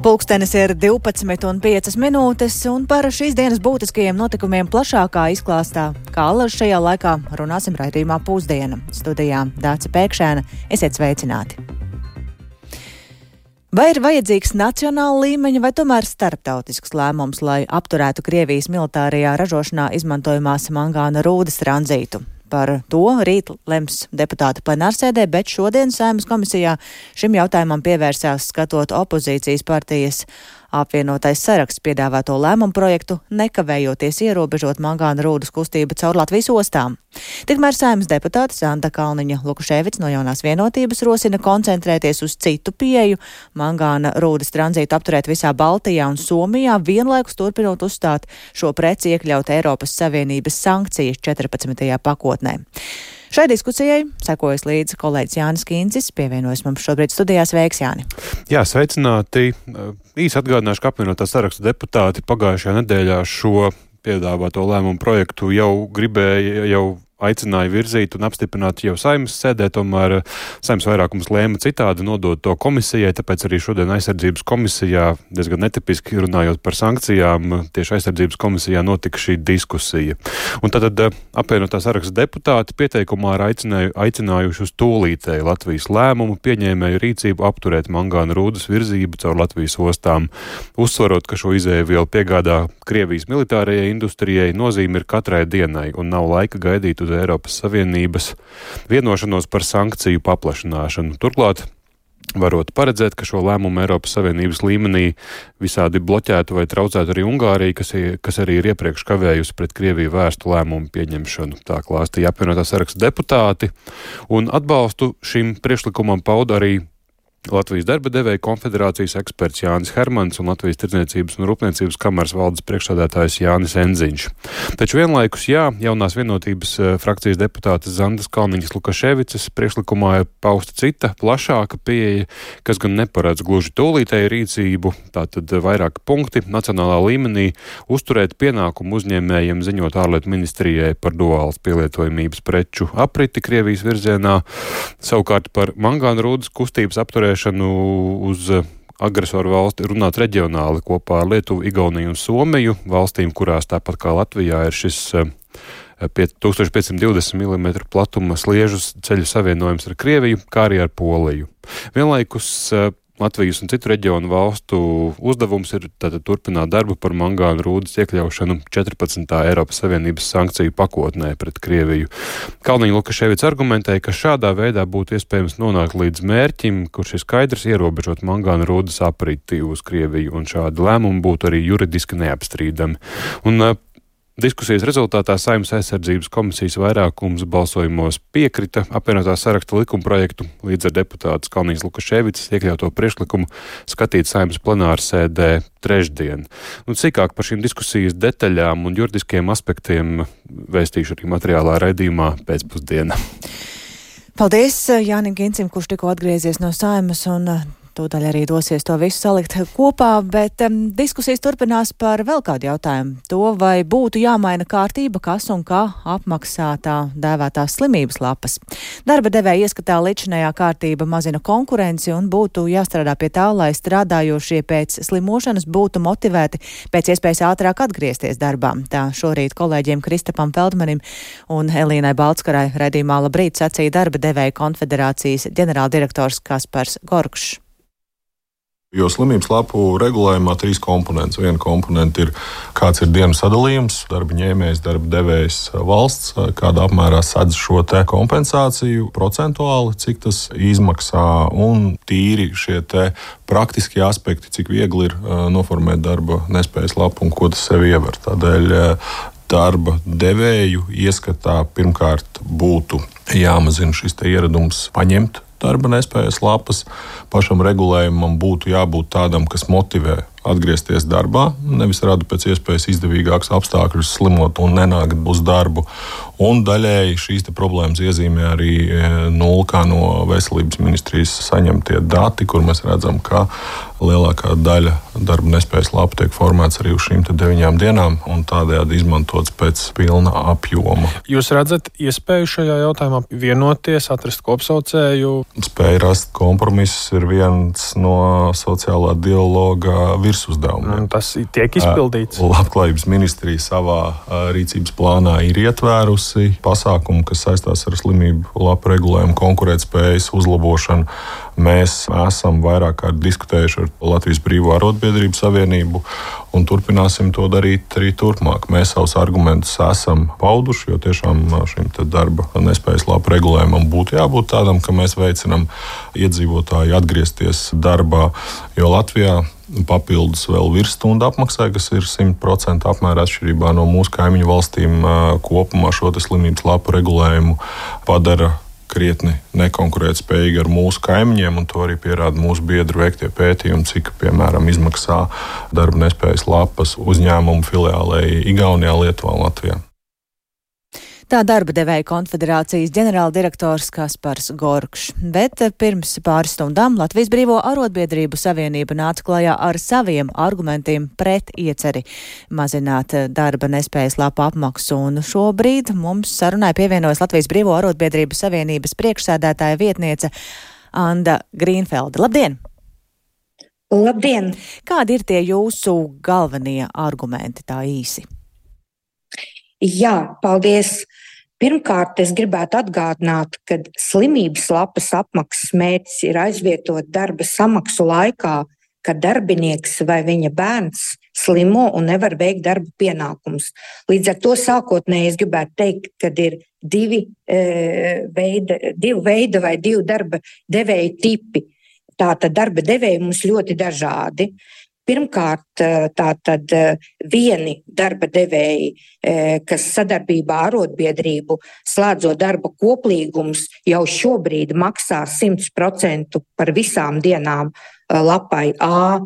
Pulkstenis ir 12:05, un par šīs dienas būtiskajiem notikumiem plašākā izklāstā, kā allaž šajā laikā, runāsim raidījumā Pusdiena. Studijā Dāca Pēkšēna, esiet sveicināti! Vai ir vajadzīgs nacionāla līmeņa vai tomēr starptautisks lēmums, lai apturētu Krievijas militārajā ražošanā izmantojamās mangāna rūdas tranzītu? Par to rīt lems deputāti plenārsēdē, bet šodien Saeimas komisijā šim jautājumam pievērsās skatot opozīcijas partijas apvienotais saraksts piedāvāto lēmumu projektu, nekavējoties ierobežot mangāna rūdas kustību caur Latvijas ostām. Tikmēr Saeimas deputāte Zanda Kalniņa-Lukaševica no Jaunās vienotības rosina koncentrēties uz citu pieeju, mangāna rūdas tranzītu apturēt visā Baltijā un Somijā, vienlaikus turpinot uzstāt šo preci iekļaut Eiropas Savienības sankcijas 14. pakotnē. Šai diskusijai sekojas līdzi kolēģis Jānis Kīncis, pievienojas mums šobrīd studijā. Sveiks, Jāni! Jā, sveicināti! Īsi atgādināšu, ka apvienotā saraksta deputāti pagājušajā nedēļā šo piedāvāto lēmumu projektu jau aicināja virzīt un apstiprināt jau Saeimas sēdē, tomēr Saeimas vairākums lēma citādi nodot to komisijai, tāpēc arī šodien aizsardzības komisijā, diezgan netipiski runājot par sankcijām, tieši aizsardzības komisijā notika šī diskusija. Un tad apvienotā saraksta deputāti pieteikumā ir aicinājuši uz tūlītēju Latvijas lēmumu pieņēmēju rīcību apturēt mangāna rūdas virzību caur Latvijas ostām, uzsvarot, ka šo izēvielu piegādā Krievijas militārajai industrijai, nozīme ir katrai dienai un nav laika gaidīt uz Eiropas Savienības vienošanos par sankciju paplašināšanu. Turklāt varot paredzēt, ka šo lēmumu Eiropas Savienības līmenī visādi bloķētu vai traucētu arī Ungārija, kas arī ir iepriekš kavējusi pret Krieviju vērstu lēmumu pieņemšanu. Tā klāstīja apvienotā saraksta deputāti, un atbalstu šim priekšlikumam pauda arī Latvijas darba devēja konfederācijas eksperts Jānis Hermans un Latvijas tirdzniecības un rūpniecības kameras valdes priekšsēdētājs Jānis Enziņš. Taču vienlaikus, Jaunās vienotības frakcijas deputātes Zandas Kalniņas-Lukaševicas priekšlikumā ir pausta cita, plašāka pieeja, kas gan neparedz gluži tūlītēju rīcību, tātad vairāki punkti nacionālā līmenī uzturēt pienākumu uzņēmējiem ziņot ārlietu ministrijai par duālas pielietojamības preču apriti Krievijas virzienā, savukārt par mangāna rūdas kustības apturēšanu uz agresoru valsti runāt reģionāli kopā ar Lietuvu, Igauniju un Somiju, valstīm, kurās tāpat kā Latvijā ir šis 1520 mm platuma sliežu ceļu savienojums ar Krieviju, kā arī ar Poliju. Vienlaikus Latvijas un citu reģionu valstu uzdevums ir tātad turpināt darbu par mangāna rūdas iekļaušanu 14. Eiropas Savienības sankciju pakotnē pret Krieviju. Kalniņa-Lukaševica argumentēja, ka šādā veidā būtu iespējams nonākt līdz mērķim, kurš ir skaidrs ierobežot mangāna rūdas apriti uz Krieviju, un šādi lēmumi būtu arī juridiski neapstrīdami. Un diskusijas rezultātā Saeimas aizsardzības komisijas vairākums balsojumos piekrita apvienotā saraksta likumprojektu, līdz ar deputātas Kalniņas-Lukaševicas iekļauto priekšlikumu skatīt Saeimas plenārsēdē trešdien. Sīkāk par šīm diskusijas detaļām un juridiskiem aspektiem vēstīšu arī materiālā raidījumā pēcpusdienā. Paldies Jānim Kincim, kurš tikko atgriezies no Saeimas un tūdaļ arī dosies to visu salikt kopā, bet diskusijas turpinās par vēl kādu jautājumu. To, vai būtu jāmaina kārtība, kas un kā apmaksā tā dēvētās slimības lapas. Darba devēja ieskatā līdzinājā kārtība mazina konkurenci un būtu jāstrādā pie tā, lai strādājošie pēc slimošanas būtu motivēti pēc iespējas ātrāk atgriezties darbā. Tā šorīt kolēģiem Kristapam Feldmanim un Elīnai Baltskarai raidījumā Labrīt sacīja darba devēja konfederācijas ģenerāldirektors Kaspars Gorkšs. Jo slimības lapu regulējumā 3 komponents. Viena komponenta ir, kāds ir dienu sadalījums, darba ņēmējs, darba devējs, valsts, kādā apmērā sadz šo te kompensāciju procentuāli, cik tas izmaksā, un tīri šie te praktiskie aspekti, cik viegli ir noformēt darba nespējas lapu un ko tas sev iever. Tādēļ darba devēju ieskatā pirmkārt būtu jāmazina šis te ieradums paņemt darba nespējas lapas. Pašam regulējumam būtu jābūt tādam, kas motivē atgriezties darbā, nevis rada pēc iespējas izdevīgākus apstākļus slimot un nenākt uz darbu. Un daļēji šīs problēmas iezīmē arī nulkā no veselības ministrijas saņemtie dati, kur mēs redzam, ka lielākā daļa darba nespējas lapu tiek formēts arī uz šīm 9 dienām un tādējādi izmantots pēc pilna apjoma. Jūs redzat iespēju šajā jautājumā vienoties, atrast kopsaucēju? Spēja rast kompromisus ir viens no sociālā dialoga virsuzdevumiem. Tas tiek izpildīts. Labklājības ministrija savā rīcības plānā ir ietvērusi pasākumu, kas saistās ar slimību lapu regulējumu, konkurētspējas uzlabošanu. Mēs esam vairāk kārt diskutējuši ar Latvijas Brīvo arotbiedrību savienību un turpināsim to darīt arī turpmāk. Mēs savus argumentus esam pauduši, jo tiešām šim darba nespējas lapu regulējumam būtu jābūt tādam, ka mēs veicinam iedzīvotāju atgriezties darbā, jo Latvijā papildus vēl virsstundu apmaksai, kas ir 100% apmērā atšķirībā no mūsu kaimiņu valstīm, kopumā šo slimības lapu regulējumu padara krietni nekonkurētspējīgi ar mūsu kaimiņiem, un to arī pierāda mūsu biedru veiktie pētījumi, cik, piemēram, izmaksā darba nespējas lapas uzņēmumu filiālei Igaunijā, Lietuvā un Latvijā. Tā darba devēja konfederācijas ģenerāldirektors Kaspars Gorkšs, bet pirms pāris stundām Latvijas Brīvo arotbiedrību savienība nāca klajā ar saviem argumentiem pret ieceri mazināt darba nespējas lapu apmaksu, un šobrīd mums sarunai pievienojas Latvijas Brīvo arotbiedrību savienības priekšsēdētāja vietniece Anda Grīnfelda. Labdien! Labdien! Kādi ir tie jūsu galvenie argumenti tā īsi? Jā, paldies! Pirmkārt, es gribētu atgādināt, ka slimības lapas apmaksas mērķis ir aizvietot darba samaksu laikā, kad darbinieks vai viņa bērns slimo un nevar veikt darba pienākumus. Līdz ar to sākotnēji es gribētu teikt, ka ir divi veidi vai divi darba devēju tipi. Tātad darba devēji mums ļoti dažādi. Pirmkārt, tātad vieni darba devēji, kas sadarbībā ar arotbiedrību slēdzot darba koplīgumus, jau šobrīd maksā 100% par visām dienām lapai A.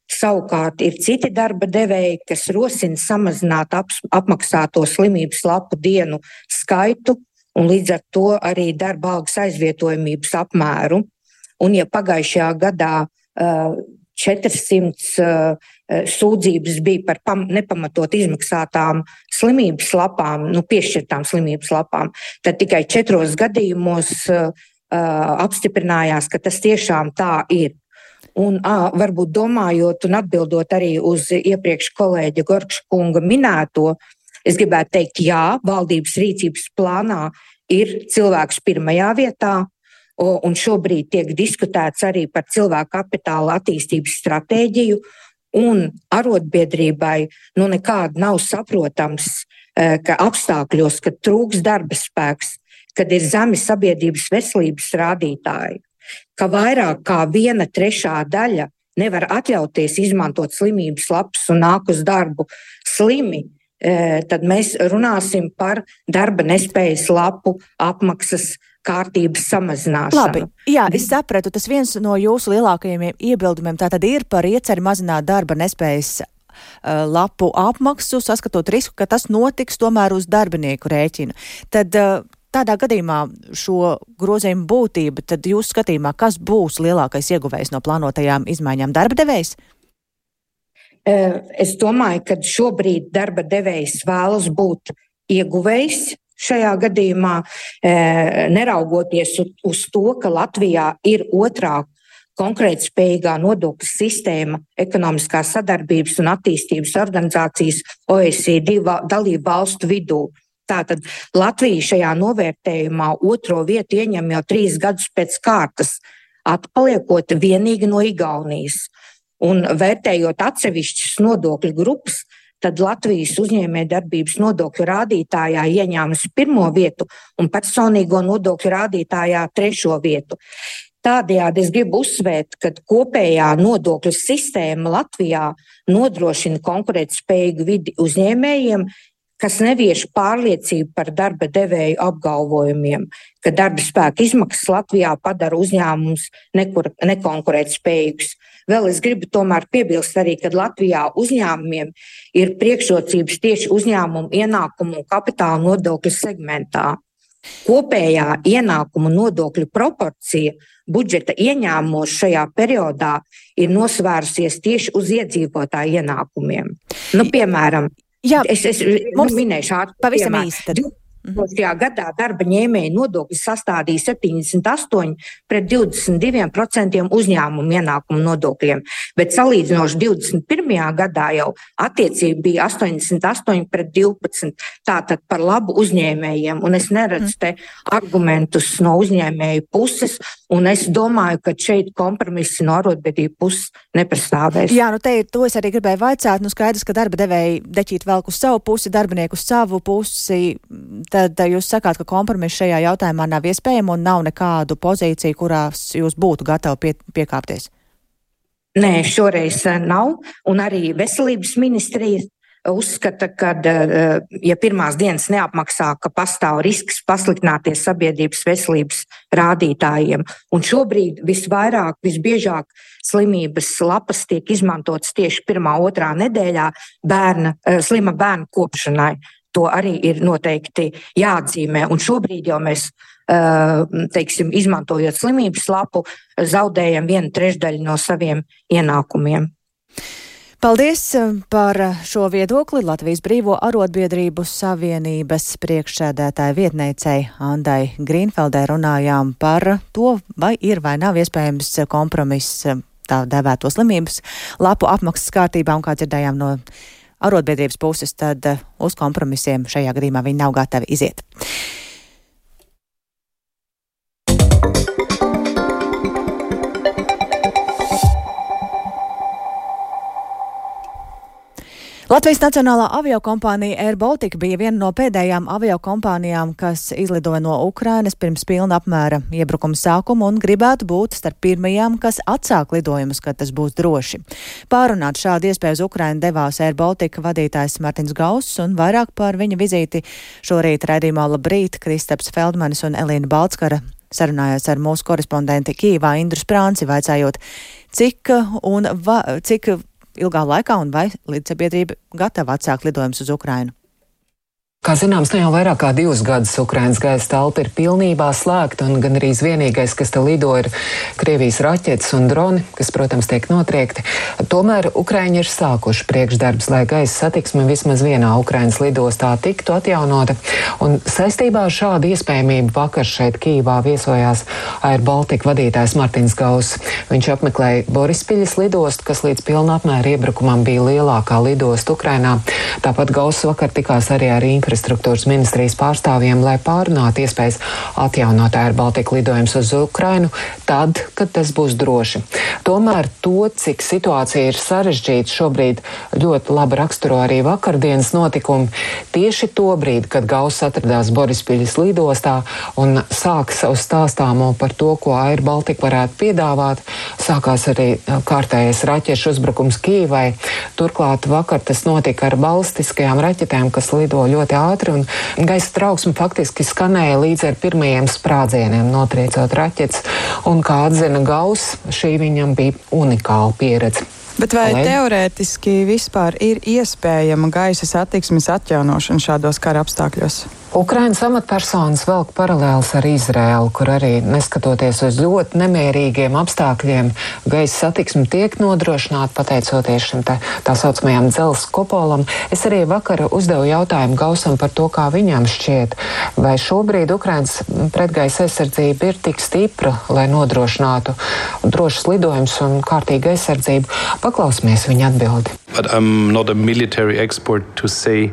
Savukārt ir citi darba devēji, kas rosina samazināt apmaksāto slimības lapu dienu skaitu un līdz ar to arī darba algas aizvietojamības apmēru. Un ja pagājušajā gadā 400 sūdzības bija par nepamatot izmaksātām slimības lapām, piešķirtām slimības lapām, tad tikai 4 gadījumos apstiprinājās, ka tas tiešām tā ir. Un varbūt domājot un atbildot arī uz iepriekš kolēģa Gorkša kunga minēto, es gribētu teikt, jā, valdības rīcības plānā ir cilvēks pirmajā vietā, un šobrīd tiek diskutēts arī par cilvēku kapitāla attīstības stratēģiju, un arotbiedrībai nekādi nav saprotams, ka apstākļos, kad trūks darba spēks, kad ir zemi sabiedrības veselības rādītāji, ka vairāk kā 1/3 daļa nevar atļauties izmantot slimības lapas un nāk uz darbu slimi, tad mēs runāsim par darba nespējas lapu apmaksas kārtības samazināšanu. Labi, jā, es sapratu, tas viens no jūsu lielākajiem iebildumiem tātad ir par ieceri mazināt darba nespējas lapu apmaksu, saskatot risku, ka tas notiks tomēr uz darbinieku rēķinu. Tad tādā gadījumā šo grozījumu būtība, tad jūs skatījumā, kas būs lielākais ieguvējs no plānotajām izmaiņām, darba devējs? Es domāju, ka šobrīd darba devējs vēlas būt ieguvējs. Šajā gadījumā, neraugoties uz to, ka Latvijā ir otrā konkurētspējīgā nodokļu sistēma ekonomiskās sadarbības un attīstības organizācijas OECD dalību valstu vidū. Tātad Latvija šajā novērtējumā 2. vietu ieņem jau 3 gadus pēc kārtas, atpaliekot vienīgi no Igaunijas. Un vērtējot atsevišķas nodokļu grupas, tad Latvijas uzņēmējdarbības nodokļu rādītājā ieņēmusi 1. vietu un personīgo nodokļu rādītājā 3. vietu. Tādējādi es gribu uzsvērt, ka kopējā nodokļu sistēma Latvijā nodrošina konkurētspējīgu vidi uzņēmējiem, kas nevieš pārliecību par darba devēju apgalvojumiem, ka darba spēka izmaksas Latvijā padara uzņēmumus nekonkurētspējīgus. Vēl es gribu tomēr piebilst arī, ka Latvijā uzņēmumiem ir priekšrocības tieši uzņēmumu ienākumu un kapitāla nodokļu segmentā. Kopējā ienākumu nodokļu proporcija budžeta ieņēmumos šajā periodā ir nosvērusies tieši uz iedzīvotāju ienākumiem. Piemēram, es minēšu pavisam īsi tad. Šajā gadā darba ņēmēju nodokļi sastādīja 78 pret 22% uzņēmumu ienākumu nodokļiem, bet salīdzinoši 21. gadā jau attiecība bija 88 pret 12, tātad par labu uzņēmējiem, un es neredzu te argumentus no uzņēmēju puses, un es domāju, ka šeit kompromisi no arotbiedrību puses nepastāvēs. Jā, to es arī gribēju vaicāt, skaidrs, ka darba devēji deķīt velk uz savu pusi, darbinieku uz savu pusi. Tad jūs sakāt, ka kompromiss šajā jautājumā nav iespējama un nav nekādu pozīciju, kurās jūs būtu gatavi piekāpties? Nē, šoreiz nav. Un arī veselības ministrija uzskata, ka, ja pirmās dienas neapmaksā, ka pastāv risks pasliktināties sabiedrības veselības rādītājiem. Un šobrīd visbiežāk slimības lapas tiek izmantotas tieši 1.–2. nedēļā slima bērna kopšanai. To arī ir noteikti jāatzīmē. Un šobrīd jau mēs, izmantojot slimības lapu, zaudējam 1/3 no saviem ienākumiem. Paldies par šo viedokli Latvijas Brīvo arotbiedrību savienības priekšsēdētāja vietniecei Andai Grīnfeldai runājām par to, vai ir vai nav iespējams kompromiss tā dēvēto slimības lapu apmaksas kārtībā, un kā dzirdējām no arotbiedrības puses, tad uz kompromisiem šajā gadījumā viņi nav gatavi iziet. Latvijas Nacionālā aviokompānija Air Baltica bija viena no pēdējām aviokompānijām, kas izlidoja no Ukrainas pirms pilna apmēra iebrukuma sākuma un gribētu būt starp pirmajām, kas atsāk lidojumus, kad tas būs droši. Pārunāt šādu iespēju uz Ukrainu devās Air Baltica vadītājs Martins Gauss, un vairāk par viņa vizīti šorīt raidījumā Labrīt Kristaps Feldmanis un Elīna Balckara sarunājās ar mūsu korespondenti Kijevā Indru Sprānci, vaicājot, cik ilgā laikā un vai līdzsabiedrība gatava atsākt lidojumus uz Ukrainu. Kā zināms, jau vairāk kā 2 gadus Ukrainas gaisa telpa ir pilnībā slēgta, un gan arī vienīgais, kas te lido, ir Krievijas raķetes un droni, kas, protams, tiek notriekti. Tomēr Ukraiņi ir sākuši priekšdarbs, lai gaisa satiksme vismaz vienā Ukrainas lidostā tiktu atjaunota. Un saistībā ar šādu iespējamību vakar šeit Kijevā viesojās Air Baltica vadītājs Martins Gauss. Viņš apmeklēja Borispiļas lidostu, kas līdz pilna apmēra iebrukumam bija lielākā lidosta Ukrainā. Tāpat Gauss vakar tikās arī ar infrastruktūras ministrijas pārstāvjiem, lai pārunātu iespējas atjaunot Air Baltica lidojumus uz Ukrainu tad, kad tas būs droši. Tomēr to, cik situācija ir sarežģīta, šobrīd ļoti labi raksturo arī vakardienas notikumi. Tieši to brīdi, kad Gauss atradās Borispiļas lidostā un sāka savu stāstāmo par to, ko Air Baltica varētu piedāvāt, sākās arī kārtējais raķešu uzbrukums Kijevai. Turklāt vakar tas notika ar balistiskajām raķetēm, kas lido ļoti ātri, un gaisa trauksme faktiski skanēja līdz ar pirmajiem sprādzieniem, notriecot raķetes, un, kā atzina Gauss, šī viņam bija unikāla pieredze. Bet vai teorētiski vispār ir iespējama gaisa satiksmes atjaunošana šādos kara apstākļos? Ukrainas amatpersonas velk paralēlis ar Izraēlu, kur arī, neskatoties uz ļoti nemierīgiem apstākļiem, gaisa satiksme tiek nodrošināta pateicoties šim tā saucamajam dzelzs kupolam. Es arī vakar uzdevu jautājumu Gaussam par to, kā viņam šķiet, vai šobrīd Ukrainas pretgaisa aizsardzība ir tik stipra, lai nodrošinātu drošas lidojumus un kārtīgu aizsardzību. Paklausīsimies viņa atbildi. But I'm not a military expert to say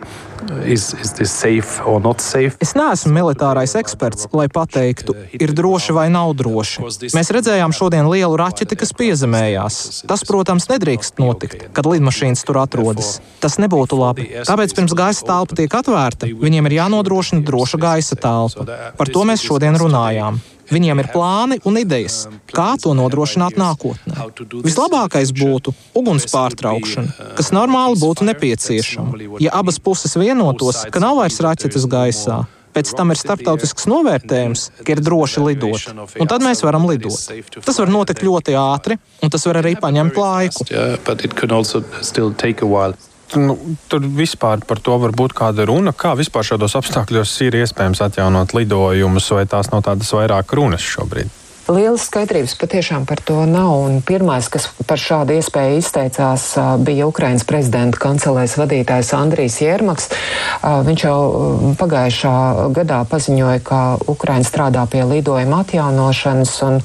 is this safe or not safe? Es neesmu militārais eksperts, lai pateiktu, ir droši vai nav droši. Mēs redzējām šodien lielu raķeti, kas piezemējās. Tas, protams, nedrīkst notikt, kad lidmašīnas tur atrodas. Tas nebūtu labi. Tāpēc pirms gaisa telpa tiek atvērta, viņiem ir jānodrošina droša gaisa telpa. Par to mēs šodien runājām. Viņiem ir plāni un idejas, kā to nodrošināt nākotnē. Vislabākais būtu uguns pārtraukšana, kas normāli būtu nepieciešama, ja abas puses vienotos, ka nav vairs raķetes gaisā. Pēc tam ir starptautisks novērtējums, ka ir droši lidot, un tad mēs varam lidot. Tas var notikt ļoti ātri, un tas var arī paņemt laiku. Tur vispār par to var būt kāda runa, kā vispār šādos apstākļos ir iespējams atjaunot lidojumus, vai tās nav tādas vairāk runas šobrīd? Lielas skaidrības patiešām par to nav, un pirmais, kas par šādu iespēju izteicās, bija Ukrainas prezidenta kancelēs vadītājs Andrijs Jermaks. Viņš jau pagājušā gadā paziņoja, ka Ukraina strādā pie lidojuma atjaunošanas, un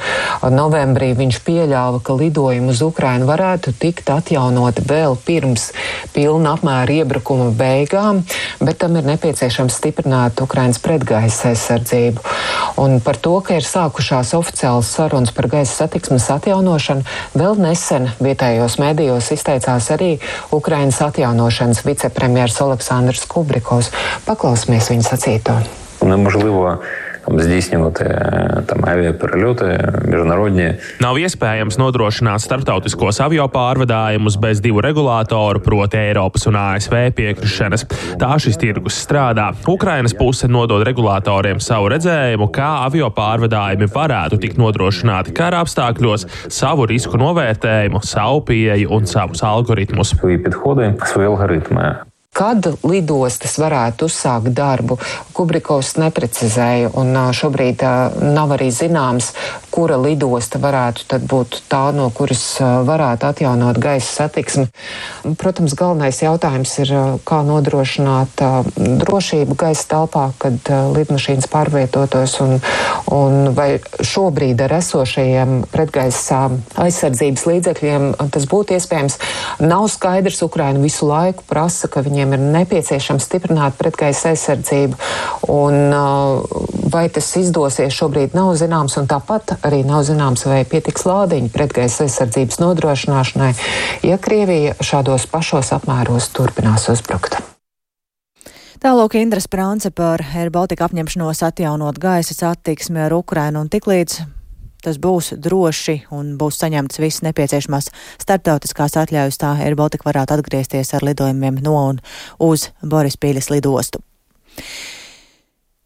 novembrī viņš pieļāva, ka lidojumi uz Ukrainu varētu tikt atjaunoti vēl pirms pilna apmēra iebrukuma beigām, bet tam ir nepieciešams stiprināt Ukrainas pretgaisa aizsardzību. Un par to, ka ir sākušās oficiāli sarunas par gaisa satiksmes atjaunošanu, vēl nesen vietējos medijos izteicās arī Ukrainas atjaunošanas vicepremjers Oleksandrs Kubrikovs. Paklausīsimies viņa sacīto. Nemožlivo здійснювати авіаперельоти міжнародні. Nav iespējams nodrošināt starptautiskos avio pārvadājumus bez divu regulātoru, proti Eiropas un ASV piekrišanas. Tā šis tirgus strādā. Ukrainas puse nodod regulātoriem savu redzējumu, kā avio pārvadājumi varētu tikt nodrošināti kara apstākļos, savu risku novērtējumu, savu pieeju un savus algoritmus. Kad lidostas varētu uzsākt darbu, Kubrikovs neprecizēja, un šobrīd nav arī zināms, kura lidosta varētu tad būt tā, no kuras varētu atjaunot gaisa satiksmi. Protams, galvenais jautājums ir, kā nodrošināt drošību gaisa telpā, kad lidmašīnas pārvietotos, un vai šobrīd ar esošajiem pretgaisa aizsardzības līdzekļiem tas būtu iespējams. Nav skaidrs, Ukraina visu laiku prasa, ka viņiem ir nepieciešams stiprināt pretgaisa aizsardzību, un vai tas izdosies šobrīd nav zināms, un tāpat arī nav zināms, vai pietiks lādiņu pretgaisa aizsardzības nodrošināšanai, ja Krievija šādos pašos apmēros turpinās uzbrukt. Tālāk Indra Sprance par Air Baltica apņemšanos atjaunot gaisa satiksmi ar Ukrainu, un tiklīdz tas būs droši un būs saņemts viss nepieciešamās starptautiskās atļaujas, tā Air Baltica varētu atgriezties ar lidojumiem no un uz Borispīļas lidostu.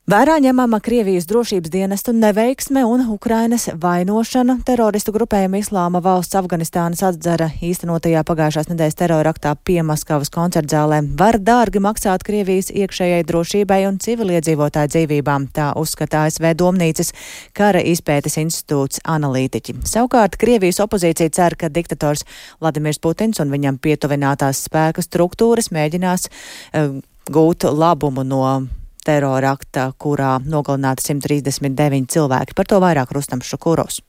Vērā ņemama Krievijas drošības dienestu neveiksme un Ukrainas vainošana teroristu grupējuma Islāma valsts Afganistānas atzara īstenotajā pagājušās nedēļas teroraktā Piemaskavas koncertzālē var dārgi maksāt Krievijas iekšējai drošībai un civiliedzīvotāju dzīvībām, tā uzskata ASV Domnīcas kara izpētes institūts analītiķi. Savukārt Krievijas opozīcija cer, ka diktators Vladimirs Putins un viņam pietuvinātās spēku struktūras mēģinās gūt labumu no terorakta, kurā nogalināti 139 cilvēki. Par to vairāk Rustams Šukurovs.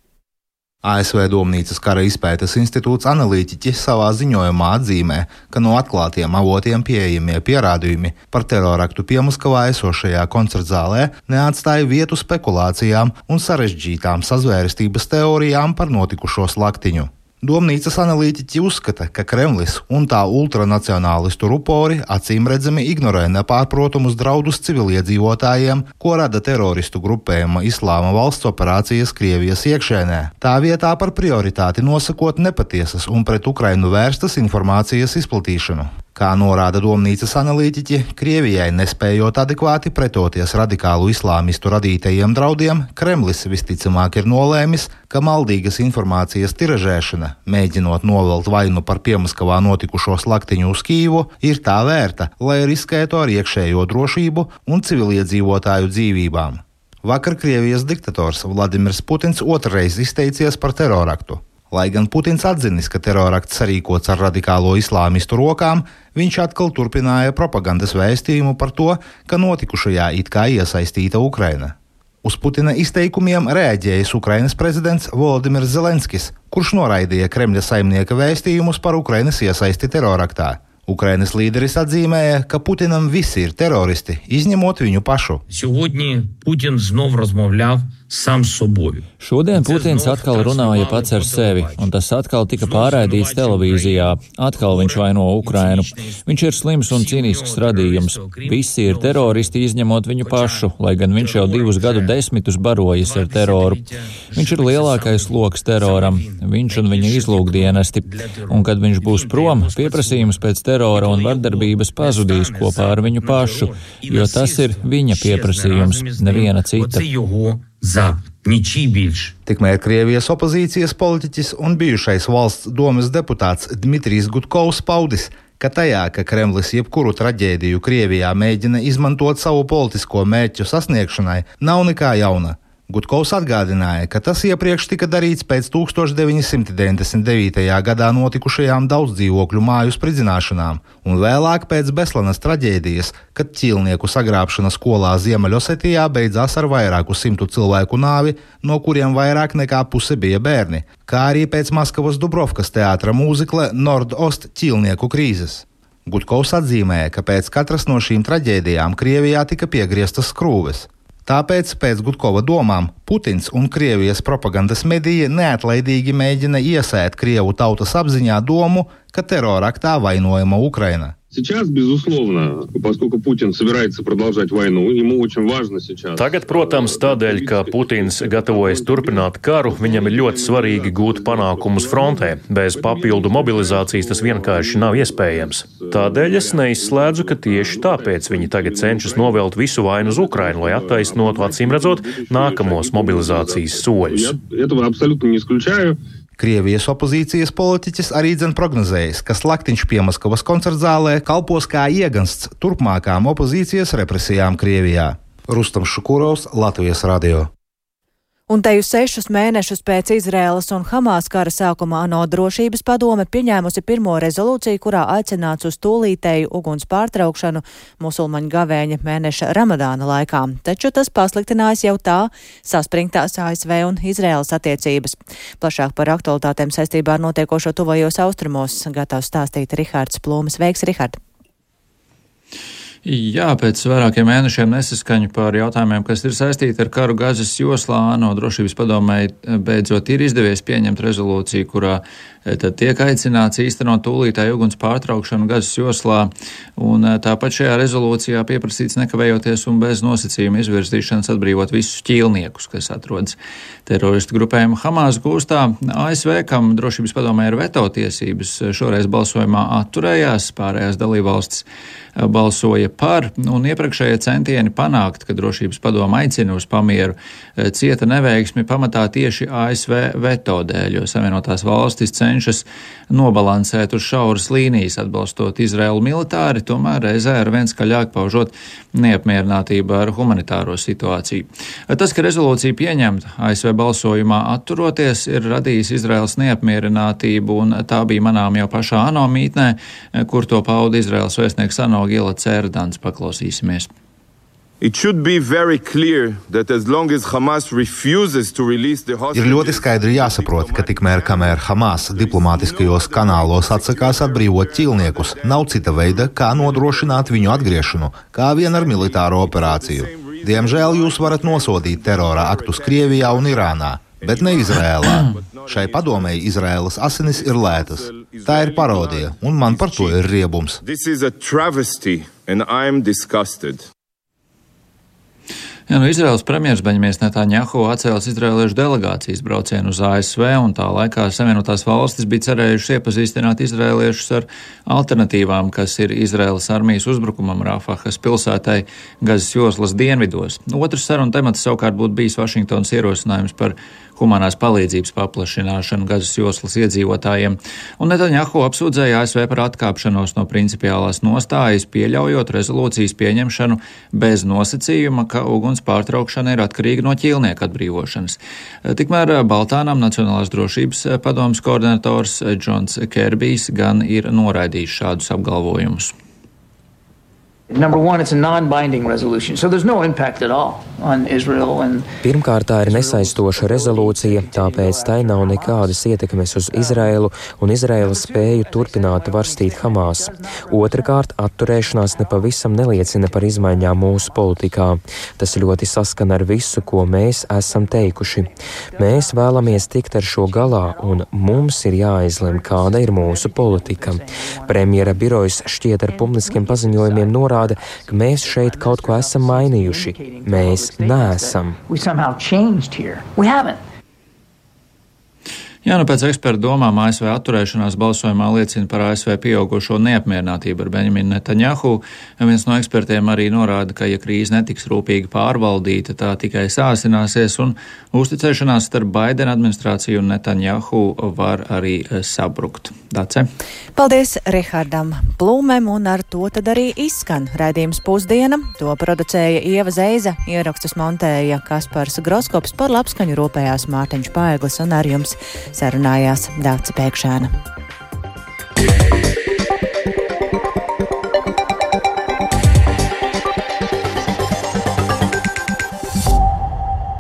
ASV Domnīcas kara izpētes institūts analītiķi savā ziņojumā atzīmē, ka no atklātiem avotiem pieejamie pierādījumi par teroraktu Piemaskavā esošajā koncertzālē neatstāja vietu spekulācijām un sarežģītām sazvērestības teorijām par notikušo slaktiņu. Domnīcas analītiķi uzskata, ka Kremlis un tā ultranacionālistu rupori acīmredzami ignorē nepārprotamus draudus civiliedzīvotājiem, ko rada teroristu grupējuma Islāma valsts operācijas Krievijas iekšēnē. Tā vietā par prioritāti nosakot nepatiesas un pret Ukrainu vērstas informācijas izplatīšanu. Kā norāda Domnīcas analītiķi, Krievijai nespējot adekvāti pretoties radikālu islāmistu radītajiem draudiem, Kremlis visticamāk ir nolēmis, ka maldīgas informācijas tiražēšana, mēģinot novelt vainu par Piemaskavā notikušo slaktiņu uz Kīvu, ir tā vērta, lai riskētu ar iekšējo drošību un civiliedzīvotāju dzīvībām. Vakar Krievijas diktators Vladimirs Putins otrreiz izteicies par teroraktu. Lai gan Putins atzinis, ka terorakts sarīkots ar radikālo islāmistu rokām, viņš atkal turpināja propagandas vēstījumu par to, ka notikušajā it kā iesaistīta Ukraina. Uz Putina izteikumiem reaģējis Ukrainas prezidents Volodimirs Zelenskis, kurš noraidīja Kremļa saimnieka vēstījumus par Ukrainas iesaisti teroraktā. Ukrainas līderis atzīmēja, ka Putinam visi ir teroristi, izņemot viņu pašu. Šodien Putins atkal runāja pats ar sevi, un tas atkal tika pārraidīts televīzijā. Atkal viņš vaino Ukrainu. Viņš ir slims un cīnisks radījums. Visi ir teroristi izņemot viņu pašu, lai gan viņš jau 2 gadu desmitus barojas ar teroru. Viņš ir lielākais loks teroram, viņš un viņa izlūkdienesti. Un kad viņš būs prom, pieprasījums pēc terora un vardarbības pazudīs kopā ar viņu pašu, jo tas ir viņa pieprasījums, neviena cita. Tikmēr Krievijas opozīcijas politiķis un bijušais valsts domes deputāts Dmitrijs Gudkovs paudis, ka tajā, ka Kremlis jebkuru traģēdiju Krievijā mēģina izmantot savu politisko mērķu sasniegšanai, nav nekā jauna. Gudkovs atgādināja, ka tas iepriekš tika darīts pēc 1999. gadā notikušajām daudzdzīvokļu māju spridzināšanām un vēlāk pēc Beslanas traģēdijas, kad ķīlnieku sagrābšana skolā Ziemeļosetijā beidzās ar vairāku 100 cilvēku nāvi, no kuriem vairāk nekā puse bija bērni, kā arī pēc Maskavas Dubrovkas teātra mūzikla Nord-Ost ķīlnieku krīzes. Gudkovs atzīmēja, ka pēc katras no šīm traģēdijām Krievijā tika piegrieztas skrūves. Tāpēc, pēc Gudkova domām, Putins un Krievijas propagandas mediji neatlaidīgi mēģina iesēt Krievu tautas apziņā domu, ka teroraktā vainojama Ukraina. Tagad, protams, tādēļ, ka Putins gatavojas turpināt karu, viņam ir ļoti svarīgi gūt panākumus frontē. Bez papildu mobilizācijas tas vienkārši nav iespējams. Tādēļ es neizslēdzu, ka tieši tāpēc viņi tagad cenšas novelt visu vainu uz Ukrainu, lai attaisnotu, acīmredzot, nākamos mobilizācijas soļus. Krievijas opozīcijas politiķis arī prognozējis, ka slaktiņš Piemaskavas koncertzālē kalpos kā iegansts turpmākām opozīcijas represijām Krievijā. Rustams Šukurovs, Latvijas radio. Un te jau 6 mēnešus pēc Izraēlas un Hamas kara sākuma ANO drošības padome pieņēmusi pirmo rezolūciju, kurā aicināts uz tūlītēju uguns pārtraukšanu musulmaņu gavēņa mēneša Ramadāna laikā. Taču tas pasliktinājis jau tā saspringtās ASV un Izraēlas attiecības. Plašāk par aktualitātēm saistībā ar notiekošo tuvajos austrumos gatavs stāstīt Rihards Plūmes. Veiks, Rihard! Jā, pēc vairākiem mēnešiem nesaskaņu par jautājumiem, kas ir saistīti ar karu Gazas joslā, ANO drošības padomei beidzot ir izdevies pieņemt rezolūciju, kurā tad tiek aicināts īstenot tūlītēju uguns pārtraukšanu Gazas joslā, un tāpat šajā rezolūcijā pieprasīts nekavējoties un bez nosacījuma izvirzīšanas atbrīvot visus ķīlniekus, kas atrodas teroristu grupējuma Hamas gūstā. ASV, kam drošības padomē ir veto tiesības, šoreiz balsojumā atturējās, pārējās dalībvalstis balsoja par, un iepriekšējie centieni panākt, ka drošības padoma aicina uz pamieru, cieta neveiksmi pamatā tieši ASV veto dēļ, jo Savienotās valstis cenšas nobalansēt uz šauras līnijas, atbalstot Izraelu militāri, tomēr reizē ar vien skaļāk paužot neapmierinātību ar humanitāro situāciju. Tas, ka rezolūcija pieņemta ASV balsojumā atturoties, ir radījis Izraels neapmierinātību, un tā bija manām jau pašā ANO mītnē, kur to pauda Izraels vēstnieks ANO Gila Cērdans. Paklausīsimies. Ir ļoti skaidri jāsaprot, ka tikmēr, kamēr Hamas diplomātiskajos kanālos atsakās atbrīvot ķīlniekus, nav cita veida, kā nodrošināt viņu atgriešanu, kā vien ar militāro operāciju. Diemžēl jūs varat nosodīt terora aktus Krievijā un Irānā, bet ne Izrēlā. Šai padomei Izraēlas asinis ir lētas. Tā ir parodija, un man par to ir riebums. Ja, Izraels premjers Beņamins Netanjahu atcēlis izraēliešu delegācijas braucienu uz ASV, un tā laikā Savienotās valstis bija cerējušas iepazīstināt izraēliešus ar alternatīvām, kas ir Izraēlas armijas uzbrukumam Rafahas pilsētai Gazas joslas dienvidos. Otrs sarunu temats savukārt būtu bijis Vašingtonas ierosinājums par humanās palīdzības paplašināšanu Gazas joslas iedzīvotājiem, un Netanjahu apsūdzēja ASV par atkāpšanos no principiālās nostājas, pieļaujot rezolūcijas pieņemšanu bez nosacījuma, ka uguns pārtraukšana ir atkarīga no ķīlnieku atbrīvošanas. Tikmēr Baltānam Nacionālās drošības padomes koordinators Džons Kerbijs gan ir noraidījis šādus apgalvojumus. Number one, it's a non-binding resolution, so there's no impact at all on Israel. Pirmkārt, tā ir nesaistoša rezolūcija, tāpēc tai nav nekādas ietekmes uz Izraēlu un Izraēlas spēju turpināt varstīt Hamas. Otrakārt, atturēšanās nepavisam neliecina par izmaiņām mūsu politikā. Tas ļoti saskan ar visu, ko mēs esam teikuši. Mēs vēlamies tikt ar šo galā, un mums ir jāizlem, kāda ir mūsu politika. Premjera birojas šķiet ar publiskiem paziņojumiem norāda, ka mēs šeit kaut ko esam mainījuši. Mēs neesam. Jā, pēc ekspertu domām ASV atturēšanās balsojumā liecina par ASV pieaugušo neapmierinātību ar Benjaminu Netanjahu. Viens no ekspertiem arī norāda, ka, ja krīze netiks rūpīgi pārvaldīta, tā tikai sāsināsies un uzticēšanās starp Baidena administrāciju un Netanjahu var arī sabrukt. Dace? Paldies Rihardam Plūmēm, un ar to tad arī izskan raidījums Pusdiena. To producēja Ieva Zeiza, ierakstus montēja Kaspars Groskops, par labskaņu rūpējās Mārtiņš Paeglis un ar jums sarunājās Dāca Pēkšēna.